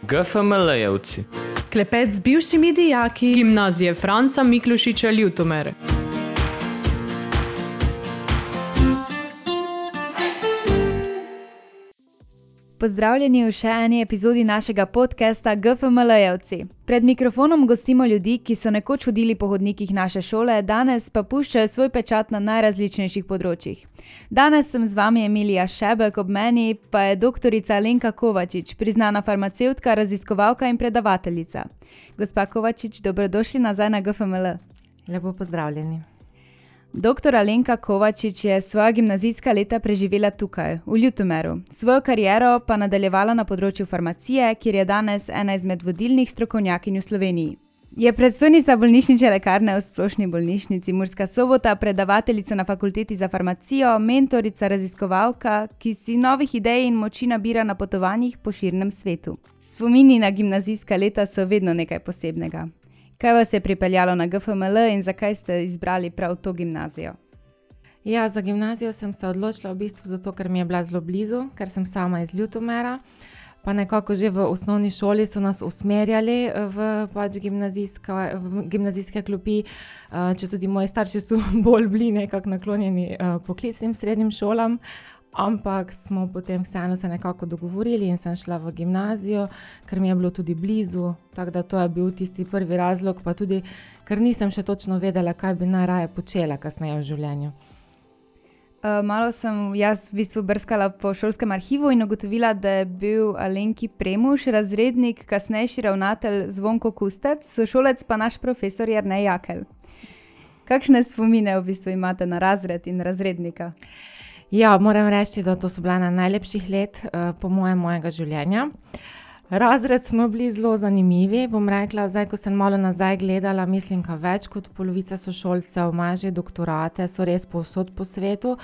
GFML-jevci. Klepet z bivšimi dijaki Gimnazije Franca Miklošiča Ljutomer. Pozdravljeni v še eni epizodi našega podcasta GFML-jevci. Pred mikrofonom gostimo ljudi, ki so nekoč hodili po hodnikih naše šole, danes pa puščajo svoj pečat na najrazličnejših področjih. Danes sem z vami Emilija Šebek, ob meni pa je doktorica Alenka Kovačič, priznana farmacevtka, raziskovalka in predavateljica. Gospa Kovačič, dobrodošli nazaj na GFML. Lepo pozdravljeni. Doktor Alenka Kovačič je svoja gimnazijska leta preživela tukaj, v Ljutomeru. Svojo kariero pa nadaljevala na področju farmacije, kjer je danes ena izmed vodilnih strokovnjakinj v Sloveniji. Je predstojnica bolnišnične lekarne v Splošni bolnišnici Murska Sobota, predavateljica na fakulteti za farmacijo, mentorica, raziskovalka, ki si novih idej in moči nabira na potovanjih po širnem svetu. Spomini na gimnazijska leta so vedno nekaj posebnega. Kaj vas je pripeljalo na GFML in zakaj ste izbrali prav to gimnazijo? Ja, za gimnazijo sem se odločila v bistvu zato, ker mi je bila zelo blizu, ker sem sama iz Ljutomera. Pa nekako že v osnovni šoli so nas usmerjali v gimnazijske klopi, če tudi moji starši so bolj bili nekako naklonjeni poklicnim srednjim šolam. Ampak smo potem vseeno se nekako dogovorili in sem šla v gimnazijo, ker mi je bilo tudi blizu, tako da to je bil tisti prvi razlog, pa tudi, ker nisem še točno vedela, kaj bi najraje počela kasneje v življenju. Malo sem jaz v bistvu brskala po šolskem arhivu in ugotovila, da je bil Alenki Premuš, razrednik, kasnejši ravnatelj Zvonko Kustec, sošolec pa naš profesor Jernej Jakelj. Kakšne spomine v bistvu imate na razred in razrednika? Ja, moram reči, da to so bila ena najlepših let po mojega življenja. Razred smo bili zelo zanimivi, bom rekla, zdaj, ko sem malo nazaj gledala, mislim, ka več kot polovica sošolcev ima že doktorate, so res povsod po svetu.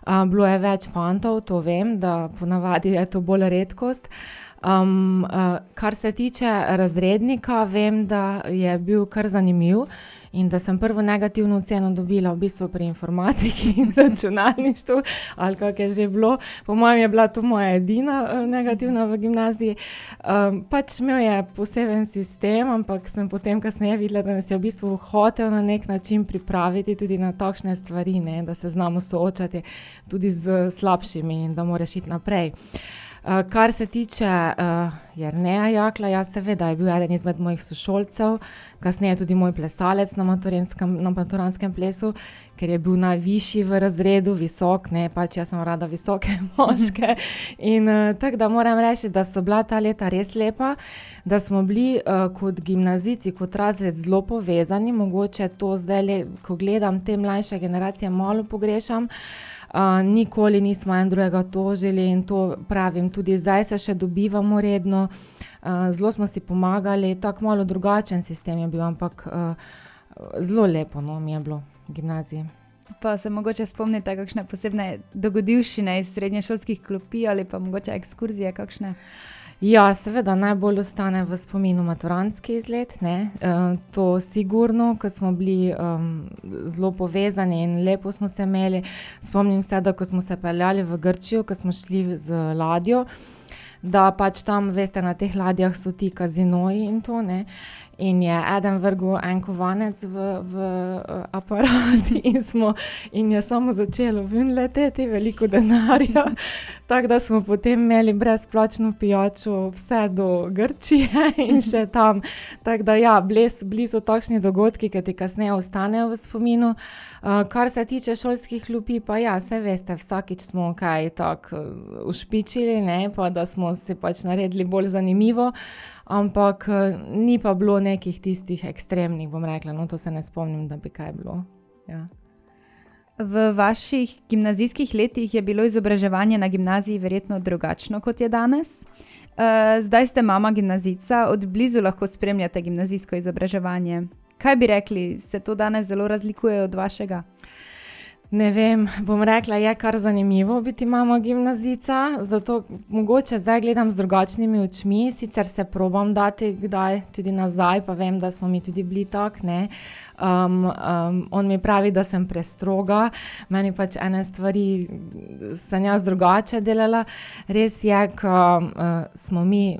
Bilo je več fantov, to vem, da ponavadi je to bolj redkost. Kar se tiče razrednika, vem, da je bil kar zanimiv in da sem prvo negativno oceno dobila v bistvu pri informatiki in računalništvu, ali kak je že bilo. Po mojem je bila to moja edina negativna v gimnaziji. Pač imel je poseben sistem, ampak sem potem kasneje videla, da nas je v bistvu hotel na nek način pripraviti tudi na takšne stvari, ne, da se znamo soočati tudi z slabšimi in da moraš iti naprej. Kar se tiče Jerneja Jakla, ja, seveda je bil eden izmed mojih sošolcev, kasneje tudi moj plesalec na maturantskem plesu, ker je bil najvišji v razredu, visok, ne, pač jaz sem rada visoke moške. In tako da moram reči, da so bila ta leta res lepa, da smo bili kot gimnazijci, kot razred zelo povezani, mogoče to zdaj, ko gledam te mlajše generacije, malo pogrešam. Nikoli nismo en drugega tožili in to pravim, tudi zdaj se še dobivamo redno, zelo smo si pomagali, tako malo drugačen sistem je bil, ampak zelo lepo, no, mi je bilo v gimnaziji. Pa se mogoče spomnite kakšne posebne dogodivščine iz srednješolskih klopi ali pa mogoče ekskurzije kakšne? Ja, seveda, najbolj ostane v spominu maturantski izlet, ne, to sigurno, ko smo bili zelo povezani in lepo smo se imeli. Spomnim se, da ko smo se peljali v Grčijo, ko smo šli z ladjo, da pač tam, veste, na teh ladjah so ti kazinoji in to, ne, in je eden vrgel en kovanec v aparat in je samo začelo ven leteti, veliko denarja, tako da smo potem imeli brezplačno pijačo vse do Grčije in še tam. Tako da ja, bili so takšni dogodki, ki ti kasneje ostanejo v spominu. Kar se tiče šolskih klopi, pa ja, saj veste, vsakič smo kaj tako ušpičili, ne, pa da smo si pač naredili bolj zanimivo, ampak ni pa bilo nekih tistih ekstremnih, bom rekla, no to se ne spomnim, da bi kaj bilo. Ja. V vaših gimnazijskih letih je bilo izobraževanje na gimnaziji verjetno drugačno, kot je danes. Zdaj ste mama gimnazijca, od blizu lahko spremljate gimnazijsko izobraževanje. Kaj bi rekli, se to danes zelo razlikuje od vašega? Ne vem, bom rekla, je kar zanimivo biti mama gimnazijca, zato mogoče zdaj gledam z drugačnimi očmi, sicer se probam dati kdaj tudi nazaj, pa vem, da smo mi tudi bili tak, ne. On mi pravi, da sem prestroga, meni pač ene stvari sem jaz drugače delala. Res je, ko smo mi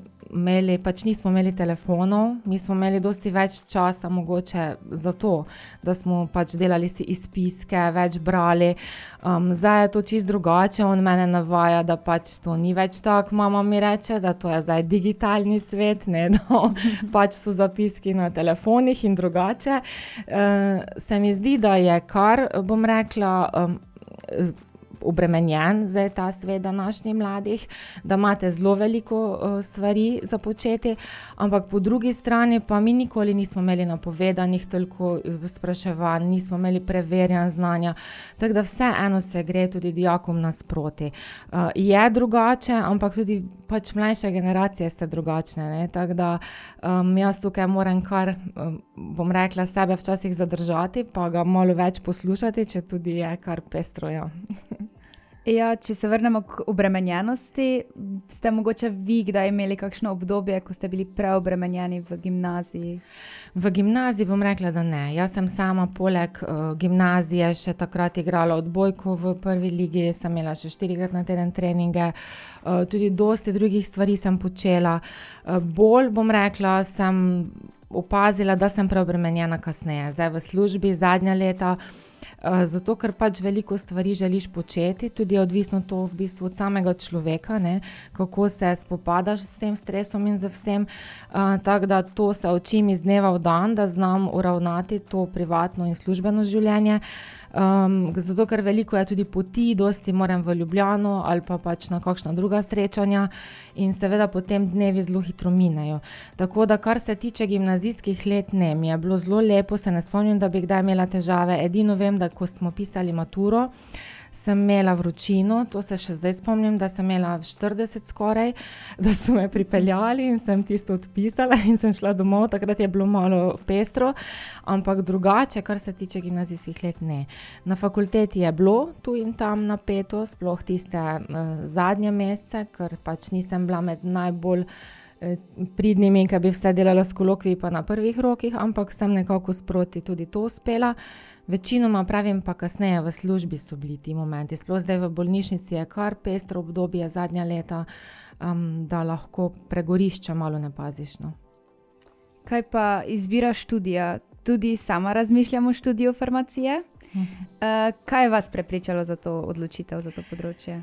nismo imeli telefonov, mi smo imeli dosti več časa mogoče za to, da smo pač delali si izpiske, več brali. Zdaj je to čisto drugače, on mene navaja, da pač to ni več tako, mama mi reče, da to je zdaj digitalni svet, ne, da pač so zapiski na telefonih in drugače. Se mi zdi, da je kar, bom rekla, obremenjen zdaj ta svet današnjih mladih, da imate zelo veliko stvari za početi, ampak po drugi strani pa mi nikoli nismo imeli napovedanih toliko spraševanj, nismo imeli preverjanj znanja, tako da vseeno se gre tudi dijakom nasproti. Je drugače, ampak tudi pač mlajše generacije ste drugačne, ne? Tako da jaz tukaj moram kar, bom rekla, sebe včasih zadržati, pa ga malo več poslušati, če tudi je kar pestro, ja. Ja, če se vrnemo k obremenjenosti, ste mogoče vi kdaj imeli kakšno obdobje, ko ste bili preobremenjeni v gimnaziji? V gimnaziji bom rekla, da ne. Jaz sem sama poleg gimnazije še takrat igrala odbojko v prvi ligi, sem imela še 4-krat na teden treninge, tudi dosti drugih stvari sem počela. Bolj, bom rekla, sem opazila, da sem preobremenjena kasneje. Zdaj v službi zadnja leta, zato ker pač veliko stvari želiš početi, tudi je odvisno to v bistvu od samega človeka, ne, kako se spopadaš s tem stresom in z vsem, tako da to se učim iz dneva v dan, da znam uravnati to privatno in službeno življenje, zato ker veliko je tudi poti, dosti moram v Ljubljano ali pa pač na kakšna druga srečanja in seveda potem dnevi zelo hitro minejo. Tako da kar se tiče gimnazijskih let, ne, mi je bilo zelo lepo, se ne spomnim, da bi kdaj imela težave, edino vem, da ko smo pisali maturo, sem imela vročino, to se še zdaj spomnim, da sem imela 40 skoraj, da so me pripeljali in sem tisto odpisala in sem šla domov, takrat je bilo malo pestro, ampak drugače, kar se tiče gimnazijskih let, ne. Na fakulteti je bilo tu in tam napeto, sploh tiste zadnje mesece, ker pač nisem bila med najbolj pridnimi, ki bi vse delala s kolokviji pa na prvih rokih, ampak sem nekako sproti tudi to uspela. Večinoma pravim pa kasneje v službi so bili ti momenti. Sploh zdaj v bolnišnici je kar pestro obdobje zadnja leta, da lahko pregorišča malo ne paziš, no. Kaj pa izbira študija? Tudi sama razmišljam o študiju farmacije. Kaj je vas prepričalo za to odločitev, za to področje?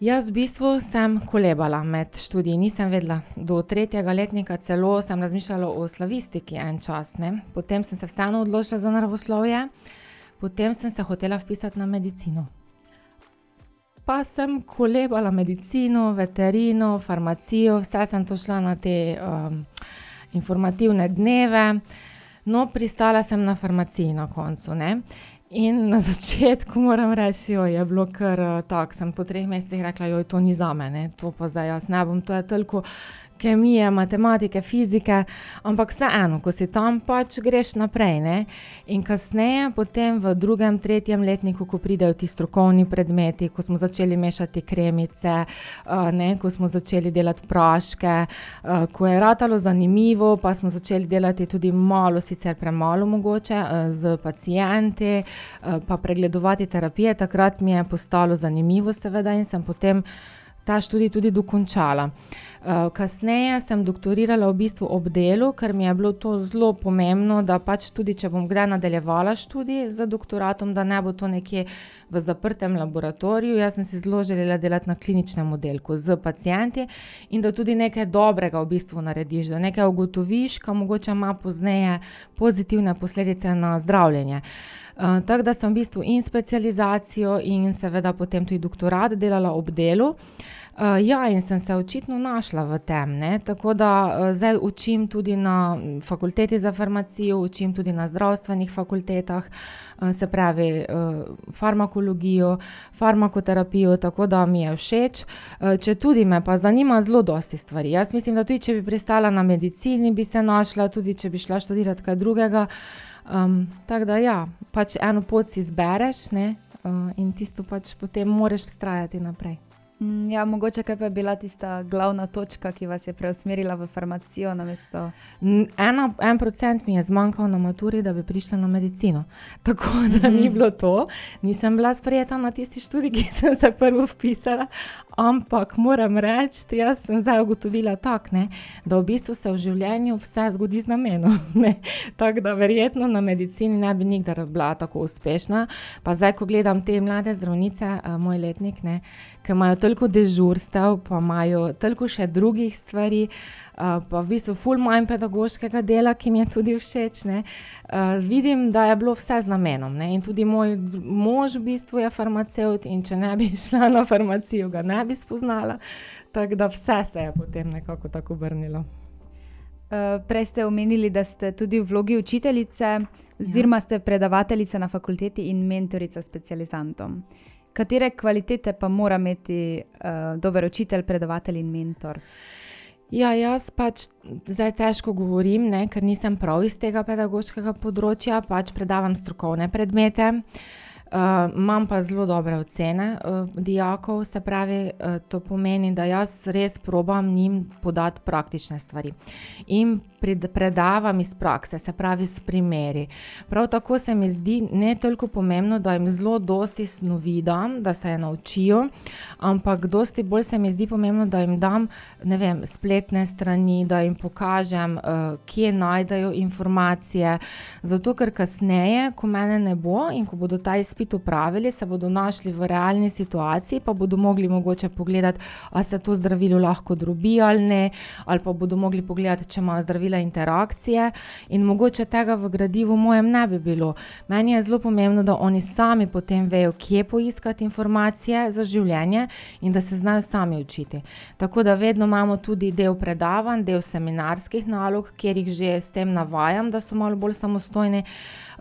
Jaz v bistvu sem kolebala med študiji, nisem vedela. Do 3. letnika celo sem razmišljala o slavistiki en čas, ne. Potem sem se vseeno odločila za naravoslovje, potem sem se hotela vpisati na medicino. Pa sem kolebala medicino, veterino, farmacijo, vse sem to šla na te informativne dneve, no pristala sem na farmaciji na koncu, ne. In na začetku moram reči, je bilo kar tako, sem po 3 mesecih rekla, to ni zame, ne, to pa zdaj jaz ne bom, to je toliko kemije, matematike, fizike, ampak vseeno, ko si tam pač greš naprej, ne, in kasneje potem v 2., 3. letniku, ko pridejo ti strokovni predmeti, ko smo začeli mešati kremice, ne, ko smo začeli delati praške, ko je ratalo zanimivo, pa smo začeli delati tudi malo, sicer premalo mogoče, z pacienti, pa pregledovati terapije, takrat mi je postalo zanimivo seveda in sem potem ta študij tudi dokončala. Kasneje sem doktorirala v bistvu ob delu, ker mi je bilo to zelo pomembno, da pač tudi, če bom kdaj nadaljevala študij z doktoratom, da ne bo to nekje v zaprtem laboratoriju. Jaz sem si zelo želela delati na kliničnem oddelku z pacienti in da tudi nekaj dobrega v bistvu narediš, da nekaj ugotoviš, ka mogoče ima pozneje pozitivne posledice na zdravljenje. Tako da sem v bistvu in specializacijo in seveda potem tudi doktorat delala ob delu. Ja, in sem se očitno našla v tem, ne, tako da zdaj učim tudi na fakulteti za farmacijo, učim tudi na zdravstvenih fakultetah, se pravi farmakologijo, farmakoterapijo, tako da mi je všeč, četudi me pa zanima zelo dosti stvari. Jaz mislim, da tudi če bi pristala na medicini, bi se našla, tudi če bi šla študirati kaj drugega, tako da ja, pač eno pot si izbereš, ne, in tisto pač potem moraš vztrajati naprej. Ja, mogoče kaj pa je bila tista glavna točka, ki vas je preusmerila v farmacijo namesto? 1% mi je zmanjkal na maturi, da bi prišla na medicino. Tako da ni bilo to. Nisem bila sprejeta na tisti študij, ki sem se prvo vpisala, ampak moram reči, jaz sem zdaj ugotovila tako, da v bistvu se v življenju vse zgodi z namenom. Tako da verjetno na medicini ne bi nikdar bila tako uspešna. Pa zdaj, ko gledam te mlade zdravnice, moj letnik, ki imajo toliko dežurstev, pa imajo toliko še drugih stvari, pa v bistvu ful manj pedagoškega dela, ki mi je tudi všeč. Vidim, da je bilo vse z namenom. In tudi moj mož v bistvu je farmacevt in če ne bi šla na farmacijo, ga ne bi spoznala. Tako da vse se je potem nekako tako obrnilo. Prej ste omenili, da ste tudi v vlogi učiteljice, oziroma ste predavateljica na fakulteti in mentorica specializantom. Katere kvalitete pa mora imeti dober učitelj, predavatelj in mentor? Ja, jaz pač zdaj težko govorim, ker nisem prav iz tega pedagoškega področja, pač predavam strokovne predmete. Imam pa zelo dobre ocene dijakov, se pravi, to pomeni, da jaz res probam njim podati praktične stvari. In predavam iz prakse, se pravi s primeri. Prav tako se mi zdi ne toliko pomembno, da jim zelo dosti snovi dam, da se je naučijo, ampak dosti bolj se mi zdi pomembno, da jim dam, spletne strani, da jim pokažem, kje najdejo informacije, zato ker kasneje, ko mene ne bo in ko bodo ta izpit upravili, se bodo našli v realni situaciji, pa bodo mogli mogoče pogledati, a se to zdravilo lahko drobi ali ne, ali pa bodo mogli pogledati, če imajo zdravila interakcije in mogoče tega v gradivu mojem ne bi bilo. Meni je zelo pomembno, da oni sami potem vejo, kje poiskati informacije za življenje in da se znajo sami učiti. Tako da vedno imamo tudi del predavanj, del seminarskih nalog, kjer jih že s tem navajam, da so malo bolj samostojni.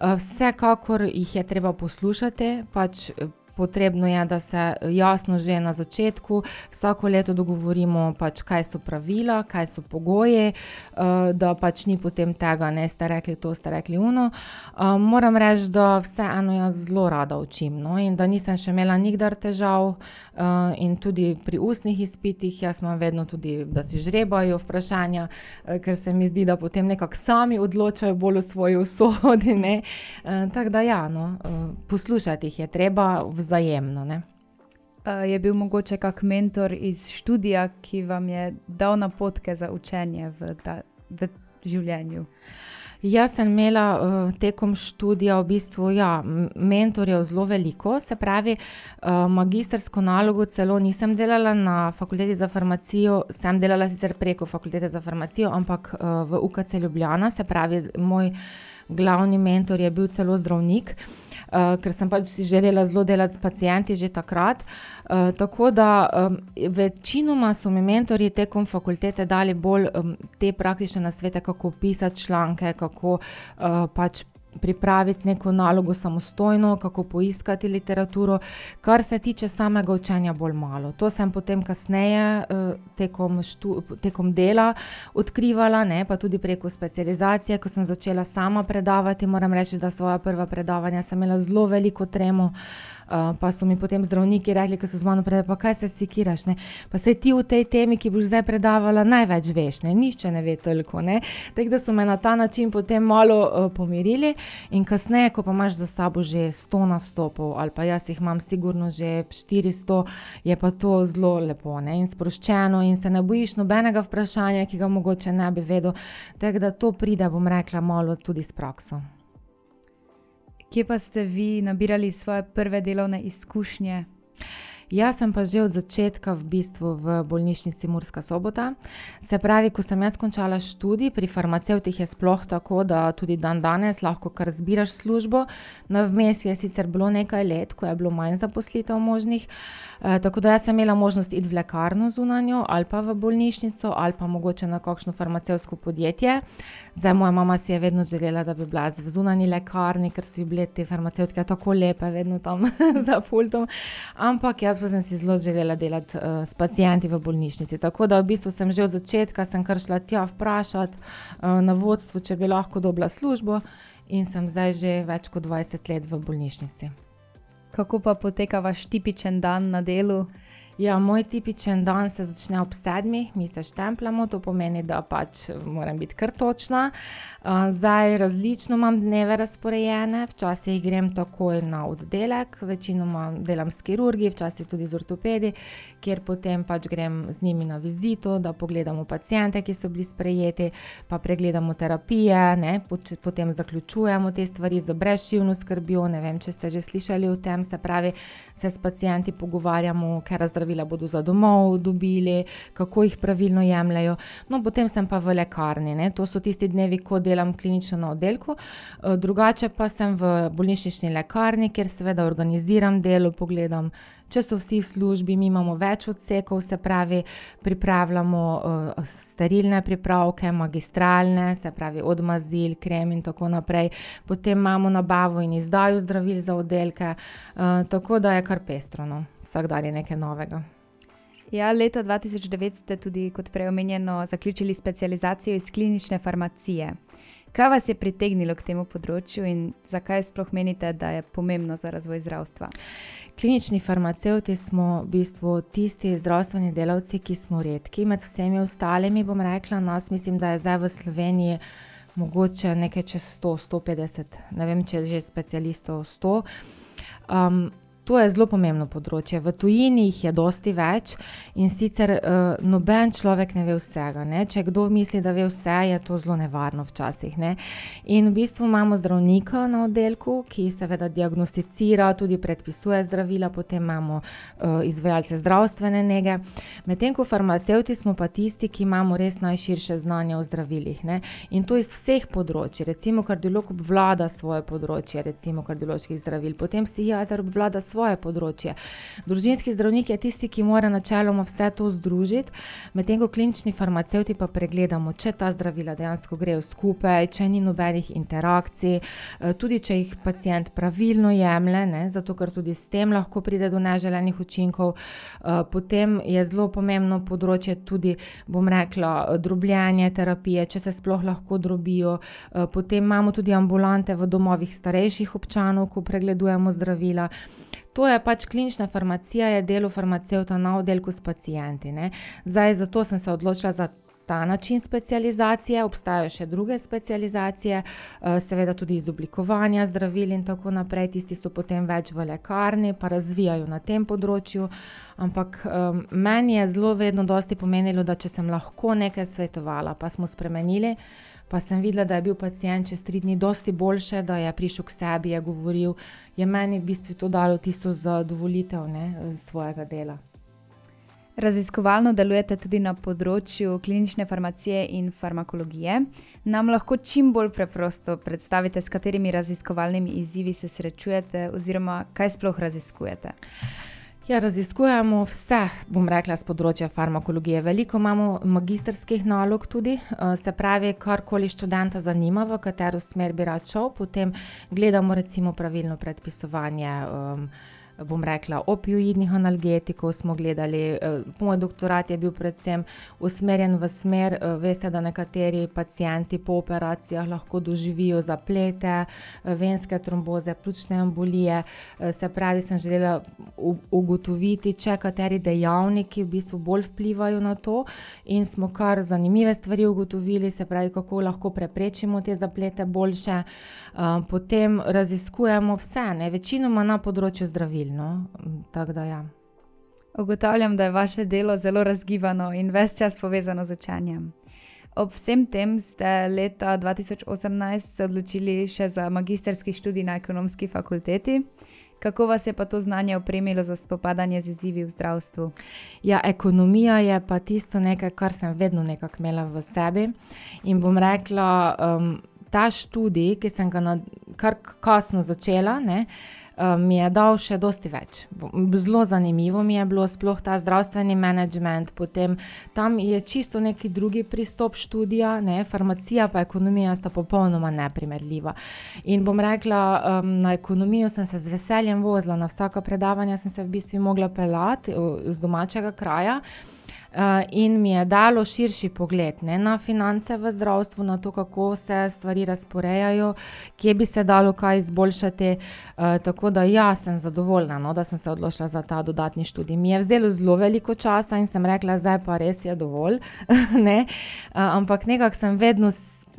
Vsekakor jih je treba poslušati, pač potrebno je, da se jasno že na začetku vsako leto dogovorimo, pač kaj so pravila, kaj so pogoji, da pač ni potem tega, ste rekli to, ste rekli ono. Moram reči, da vseeno jaz zelo rada učim, in da nisem še imela nikdar težav in tudi pri ustnih izpitih, jaz imam vedno tudi, da si žrebajo vprašanja, ker se mi zdi, da potem nekako sami odločajo bolj o svoji usodi, tako da ja, poslušati jih je treba vzajemno, Je bil mogoče kak mentor iz študija, ki vam je dal napotke za učenje v življenju? Jaz sem imela tekom študija v bistvu, mentorjev zelo veliko, se pravi, magistrsko nalogo celo nisem delala na fakulteti za farmacijo, sem delala sicer preko fakultete za farmacijo, ampak v UKC Ljubljana, se pravi, moj glavni mentor je bil celo zdravnik, ker sem pač si želela zelo delati s pacienti že takrat. Tako da večinoma so mi mentorji tekom fakultete dali bolj te praktične nasvete, kako pisati članke, kako pač pripraviti neko nalogo samostojno, kako poiskati literaturo, kar se tiče samega učenja bolj malo. To sem potem kasneje tekom dela odkrivala, pa tudi preko specializacije, ko sem začela sama predavati. Moram reči, da svoja prva predavanja sem imela zelo veliko tremo, pa so mi potem zdravniki rekli, ko so z mano predavali, pa kaj se sikiraš, pa saj ti v tej temi, ki boš zdaj predavala, največ veš, nihče ne ve toliko, Tako da so me na ta način potem malo pomirili in kasneje, ko pa imaš za sabo že 100 nastopov, ali pa jaz jih imam sigurno že 400, je pa to zelo lepo, in sproščeno in se ne bojiš nobenega vprašanja, ki ga mogoče ne bi vedel, tako da to pride, bom rekla, malo tudi s prakso. Kje pa ste vi nabirali svoje prve delovne izkušnje? Jaz sem pa že od začetka v bistvu v bolnišnici Murska Sobota. Se pravi, ko sem jaz končala študij, pri farmacevtih je sploh tako, da tudi dan danes lahko kar zbiraš službo. Vmes je sicer bilo nekaj let, ko je bilo manj zaposlitev možnih, tako da jaz sem imela možnost iti v lekarno zunanjo ali pa v bolnišnico ali pa mogoče na kakšno farmacevtsko podjetje. Zdaj, moja mama si je vedno želela, da bi bila v zunanji lekarni, ker so ji bile te farmacevtke tako lepe, vedno tam za pultom, ampak jaz pa sem si zelo želela delati s pacienti v bolnišnici. Tako da v bistvu sem že od začetka sem kar šla tja vprašati na vodstvu, če bi lahko dobila službo in sem zdaj že več kot 20 let v bolnišnici. Kako pa poteka vaš tipičen dan na delu? Ja, moj tipičen dan se začne ob 7, mi se štempljamo, to pomeni, da pač moram biti kar točna. Zdaj različno imam dneve razporejene, včasih grem takoj na oddelek, večinoma delam s kirurgi, včasih tudi z ortopedi, kjer potem pač grem z njimi na vizito, da pogledamo paciente, ki so bili sprejeti, pa pregledamo terapije, ne, potem zaključujemo te stvari z brezšivno skrbjo, ne vem, če ste že slišali o tem, se pravi, se s pacienti pogovarjamo, ker zdravila bodo za domov dobili, kako jih pravilno jemljajo. No, potem sem pa v lekarni, ne. To so tisti dnevi, ko delam klinično na oddelku. Drugače pa sem v bolnišnični lekarni, kjer seveda organiziram delo, pogledam, če so vsi v službi, mi imamo več odsekov, se pravi, pripravljamo sterilne pripravke, magistralne, se pravi od mazil, krem in tako naprej. Potem imamo nabavo in izdajo zdravil za oddelke, tako da je kar pestro, no. Vsak dan je nekaj novega. Ja, leta 2009 ste tudi, kot prej omenjeno, zaključili specializacijo iz klinične farmacije. Kaj vas je pritegnilo k temu področju in zakaj sploh menite, da je pomembno za razvoj zdravstva? Klinični farmacevti smo v bistvu tisti zdravstveni delavci, ki smo redki. Med vsemi ostalimi, bom rekla, nas mislim, da je zdaj v Sloveniji mogoče nekaj čez 100, 150, ne vem, če je že specialistov 100. To je zelo pomembno področje. V tujini jih je dosti več in sicer noben človek ne ve vsega, ne. Če kdo misli, da ve vse, je to zelo nevarno včasih, ne. In v bistvu imamo zdravnika na oddelku, ki seveda diagnosticira, tudi predpisuje zdravila, potem imamo izvajalce zdravstvene nege. Medtem ko farmacevti smo pa tisti, ki imamo res najširše znanje o zdravilih, ne. In to iz vseh področij. Recimo kardiolog obvlada svoje področje, recimo kardioloških zdravil, potem psihiater obvlada svoje področje. Družinski zdravnik je tisti, ki mora načeloma vse to združiti, medtem ko klinični farmacevti pa pregledamo, če ta zdravila dejansko grejo skupaj, če ni nobenih interakcij, tudi če jih pacient pravilno jemlje, ne, zato ker tudi s tem lahko pride do neželenih učinkov. Potem je zelo pomembno področje tudi, bom rekla, drobljenje terapije, če se sploh lahko drobijo. Potem imamo tudi ambulante v domovih starejših občanov, ko pregledujemo zdravila. To je pač klinična farmacija, je delo farmacevta na oddelku s pacienti, ne. Zdaj, zato sem se odločila za ta način specializacije, obstajajo še druge specializacije, seveda tudi izoblikovanja zdravil in tako naprej, tisti so potem več v lekarni, pa razvijajo na tem področju, ampak meni je zelo vedno dosti pomenilo, da če sem lahko nekaj svetovala, pa smo spremenili, pa sem videla, da je bil pacient čez 3 dni dosti boljše, da je prišel k sebi, je govoril, je meni v bistvu to dalo tisto zadovoljitev, ne, svojega dela. Raziskovalno delujete tudi na področju klinične farmacije in farmakologije. Nam lahko čim bolj preprosto predstavite, s katerimi raziskovalnimi izzivi se srečujete oziroma kaj sploh raziskujete? Ja, raziskujemo vse, bom rekla, z področja farmakologije. Veliko imamo magistrskih nalog tudi, se pravi, karkoli študenta zanima, v katero smer bi rad šel, potem gledamo recimo pravilno predpisovanje, bom rekla, opioidnih analgetikov smo gledali. Moj doktorat je bil predvsem usmerjen v smer, veste, da nekateri pacienti po operacijah lahko doživijo zaplete, venske tromboze, pljučne embolije, se pravi, sem želela ugotoviti, če kateri dejavniki v bistvu bolj vplivajo na to in smo kar zanimive stvari ugotovili, se pravi, kako lahko preprečimo te zaplete boljše. Potem raziskujemo vse, ne, večinoma na področju zdravil. No, tako da ja. Ugotavljam, da je vaše delo zelo razgibano in ves čas povezano z učenjem. Ob vsem tem ste leta 2018 se odločili še za magistrski študij na ekonomski fakulteti. Kako vas je pa to znanje opremilo za spopadanje z izzivi v zdravstvu? Ja, ekonomija je pa tisto nekaj, kar sem vedno nekako imela v sebi in bom rekla, ta študij, ki sem ga kar kasno začela, ne, mi je dal še dosti več. Zelo zanimivo mi je bilo, sploh ta zdravstveni menedžment, potem tam je čisto neki drugi pristop študija, ne, farmacija pa ekonomija sta popolnoma neprimerljiva. In bom rekla, na ekonomijo sem se z veseljem vozila, na vsaka predavanja sem se v bistvu mogla peljati z domačega kraja. in mi je dalo širši pogled, ne, na finance v zdravstvu, na to, kako se stvari razporejajo, kje bi se dalo kaj izboljšati. Tako da ja, sem zadovoljna, no, da sem se odločila za ta dodatni študij. Mi je vzelo zelo veliko časa in sem rekla, zdaj pa res je dovolj. Ne? Ampak nekako sem vedno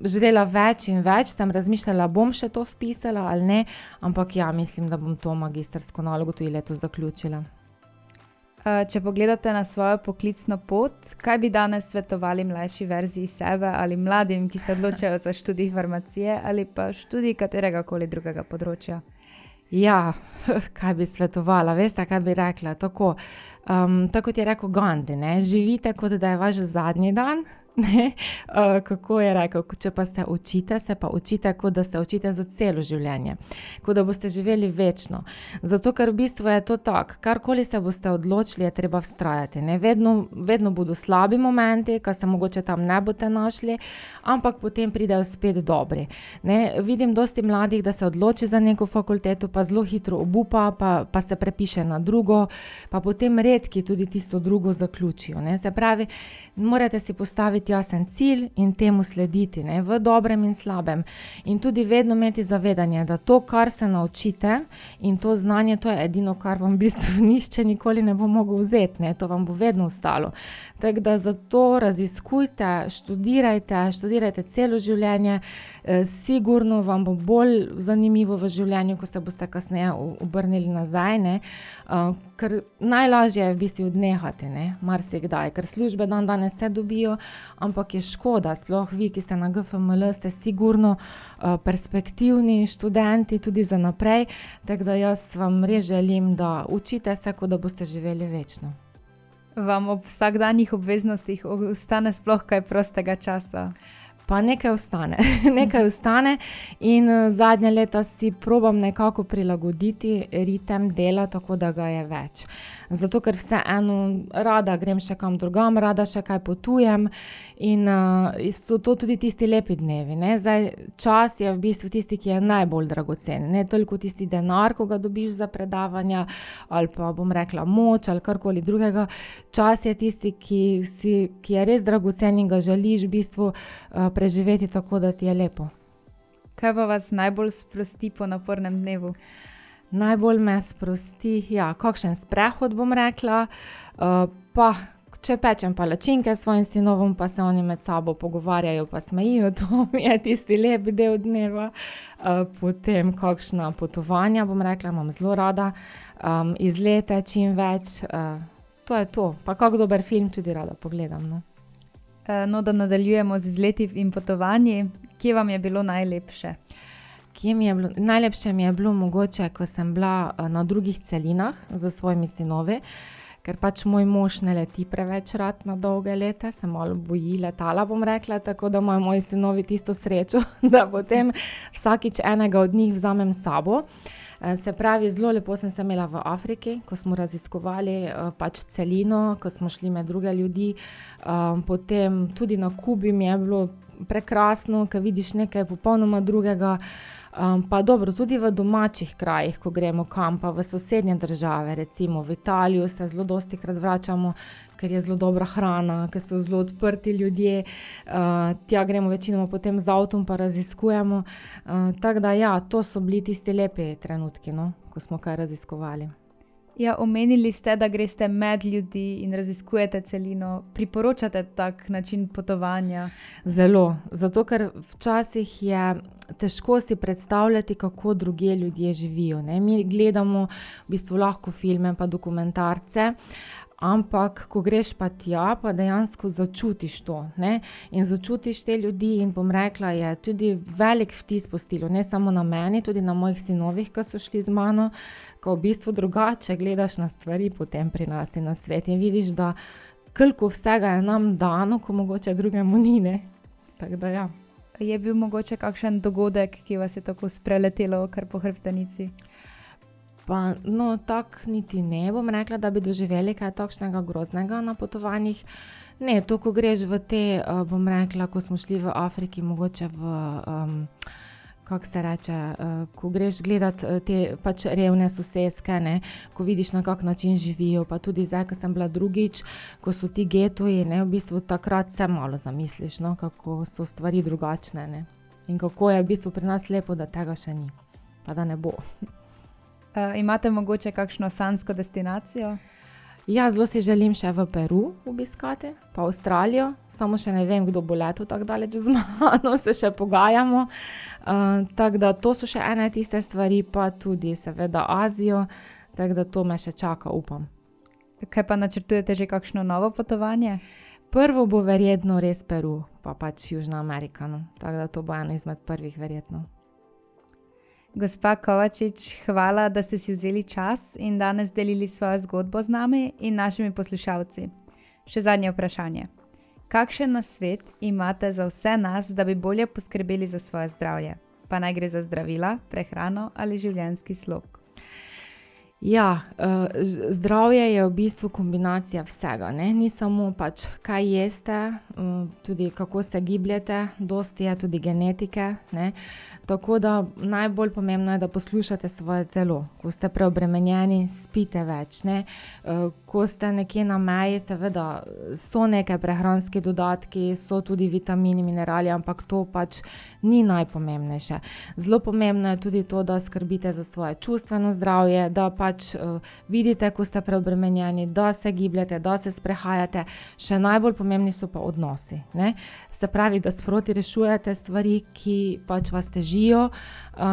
želela več in več, sem razmišljala, bom še to vpisala ali ne, ampak ja, mislim, da bom to magistrsko nalogo tudi letos zaključila. Če pogledate na svojo poklicno pot, kaj bi danes svetovali mlajši verziji sebe ali mladim, ki se odločajo za študij farmacije ali pa študij katerega koli drugega področja? Ja, kaj bi svetovala, veste, kaj bi rekla, tako kot je rekel Gandhi, ne, živite, kot da je vaš zadnji dan. Ne? Kako je rekel, če pa se učite, se pa učite, kot da se učite za celo življenje, kot da boste živeli večno. Zato, ker v bistvu je to tako, karkoli se boste odločili, je treba vztrajati. Ne? Vedno bodo slabi momenti, ko se mogoče tam ne boste našli, ampak potem pridejo spet dobri. Ne? Vidim dosti mladih, da se odloči za neko fakulteto, pa zelo hitro obupa, pa se prepiše na drugo, pa potem redki tudi tisto drugo zaključijo. Ne? Se pravi, morate si postaviti jasen cilj in temu slediti, ne, v dobrem in slabem. In tudi vedno imeti zavedanje, da to, kar se naučite in to znanje, to je edino, kar vam v bistvu nihče nikoli ne bo mogel vzeti, ne, to vam bo vedno ostalo. Tako da zato raziskujte, študirajte celo življenje, sigurno vam bo bolj zanimivo v življenju, ko se boste kasneje obrnili nazaj, ne, ker najlažje je v bistvu odnehati, ne, marsikdaj, ker službe danes se dobijo, ampak je škoda, sploh vi, ki ste na GFML, ste sigurno perspektivni študenti tudi za naprej, tako da jaz vam res želim, da učite se, kot da boste živeli večno. Vam ob vsakdanjih obveznostih ostane sploh kaj prostega časa? Pa nekaj ostane in zadnje leta si probam nekako prilagoditi ritem dela, tako da ga je več. Zato, ker vseeno rada grem še kam drugam, rada še kaj potujem in so to tudi tisti lepi dnevi. Ne? Zdaj, čas je v bistvu tisti, ki je najbolj dragocen. Ne toliko tisti denar, ko ga dobiš za predavanja ali pa bom rekla moč ali karkoli drugega. Čas je tisti, ki je res dragocen in ga želiš v bistvu preživeti tako, da ti je lepo. Kaj pa vas najbolj sprosti po napornem dnevu? Najbolj me sprosti, kakšen sprehod bom rekla, pa če pečem palačinke s svojim sinovom, pa se oni med sabo pogovarjajo, pa smejijo, to mi je tisti lep del dneva. Potem kakšna potovanja, bom rekla, imam zelo rada, izlete čim več, to je to. Pa kak dober film tudi rada pogledam, no. No, da nadaljujemo z izleti in potovanji, kje vam je bilo najlepše? Najlepše mi je bilo mogoče, ko sem bila na drugih celinah za svojimi sinovi, ker pač moj mož ne leti preveč rad na dolge lete, se malo boji letala, bom rekla, tako da imajo moji sinovi tisto srečo, da potem vsakič enega od njih vzamem s sabo. Se pravi, zelo lepo sem se imela v Afriki, ko smo raziskovali pač celino, ko smo šli med druge ljudi. Potem tudi na Kubi mi je bilo prekrasno, ko vidiš nekaj popolnoma drugega. Pa dobro, tudi v domačih krajih, ko gremo kam, pa v sosednje države, recimo v Italijo se zelo dostikrat vračamo, ker je zelo dobra hrana, ker so zelo odprti ljudje, tja gremo večinoma potem z avtom pa raziskujemo. Tako da ja, to so bili tisti lepi trenutki, no, ko smo kaj raziskovali. Ja, omenili ste, da greste med ljudi in raziskujete celino. Priporočate tak način potovanja? Zelo, zato ker včasih je težko si predstavljati, kako drugje ljudje živijo, ne. Mi gledamo v bistvu lahko filme pa dokumentarce, ampak ko greš pa tja, pa dejansko začutiš to, ne, in začutiš te ljudi in bom rekla, je tudi velik vtis pustilo, ne samo na meni, tudi na mojih sinovih, ki so šli z mano, ko v bistvu drugače gledaš na stvari potem pri nas in na svet in vidiš, da koliko vsega je nam dano, ko mogoče drugemu ni, ne, tako da ja. Je bil mogoče kakšen dogodek, ki vas je tako spreletelo kar po hrbtenici? Pa, no, tako niti ne bom rekla, da bi doživeli kaj takšnega groznega na potovanjih. Ne, to, ko greš v te, bom rekla, ko smo šli v Afriki, mogoče v kako se reče, ko greš gledat te pač revne soseske, ne, ko vidiš, na kak način živijo, pa tudi zdaj, ko sem bila drugič, ko so ti getoji, ne, v bistvu takrat se malo zamisliš, no, kako so stvari drugačne, ne, in kako je v bistvu pri nas lepo, da tega še ni, pa da ne bo. Imate mogoče kakšno sanjsko destinacijo? Ja, zelo si želim še v Peru obiskati, pa Avstralijo, samo še ne vem, kdo bo letel tako daleč z mano, se še pogajamo. Tako da to so še ene tiste stvari, pa tudi seveda Azijo, tako da to me še čaka, upam. Kaj pa načrtujete že kakšno novo potovanje? Prvo bo verjetno res Peru, pa pač Južna Amerika, no. Tako da to bo eno izmed prvih verjetno. Gospa Kovačič, hvala, da ste si vzeli čas in danes delili svojo zgodbo z nami in našimi poslušalci. Še zadnje vprašanje. Kakšen nasvet imate za vse nas, da bi bolje poskrbeli za svoje zdravje? Pa naj gre za zdravila, prehrano ali življenjski slog? Ja, zdravje je v bistvu kombinacija vsega, ne? Ni samo pač kaj jeste, tudi kako se gibljete, dosti je tudi genetike, ne? Tako da najbolj pomembno je, da poslušate svoje telo. Ko ste preobremenjeni, spite več, ne? Ko ste nekje na meji, seveda so neke prehranski dodatki, so tudi vitamini, minerali, ampak to pač ni najpomembnejše. Zelo pomembno je tudi to, da skrbite za svoje čustveno zdravje, da pač vidite, ko ste preobremenjeni, da se gibljete, da se sprehajate. Še najbolj pomembni so pa odnosi, ne? Se pravi, da sproti rešujete stvari, ki pač vas težijo,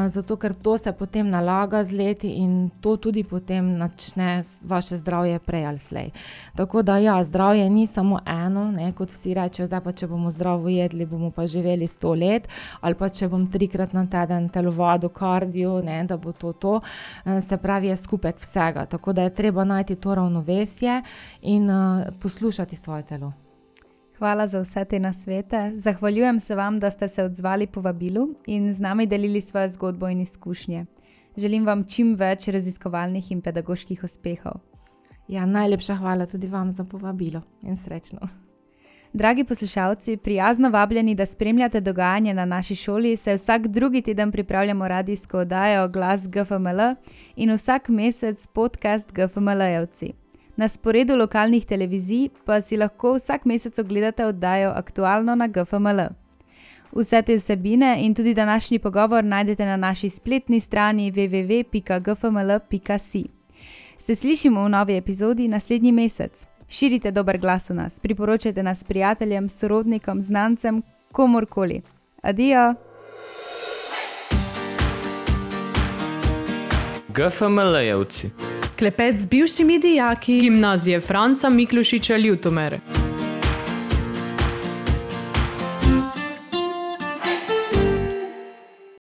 zato ker to se potem nalaga z leti in to tudi potem načne vaše zdravje prej ali slej. Tako da ja, zdravje ni samo eno, ne? Kot vsi rečejo, zdaj pa če bomo zdravo jedli, bomo pa živeli 100 let, ali pa če bom 3-krat na teden telovadil, kardio, ne? Da bo to. Se pravi, je skupek vsega, tako da je treba najti to ravnovesje in poslušati svoje telo. Hvala za vse te nasvete. Zahvaljujem se vam, da ste se odzvali povabilu in z nami delili svojo zgodbo in izkušnje. Želim vam čim več raziskovalnih in pedagoških uspehov. Ja, najlepša hvala tudi vam za povabilo in srečno. Dragi poslušalci, prijazno vabljeni, da spremljate dogajanje na naši šoli, saj vsak drugi teden pripravljamo radijsko oddajo Glas GFML in vsak mesec podcast GFML-jevci. Na sporedu lokalnih televizij pa si lahko vsak mesec ogledate oddajo Aktualno na GFML. Vse te vsebine in tudi današnji pogovor najdete na naši spletni strani www.gfml.si. Se slišimo v novi epizodi naslednji mesec. Širite dober glas o nas, priporočajte nas prijateljem, sorodnikom, znancem, komorkoli. Adijo! GFML-jevci. Klepet z bivšimi dijaki Gimnazije Franca Miklošiča Ljutomer.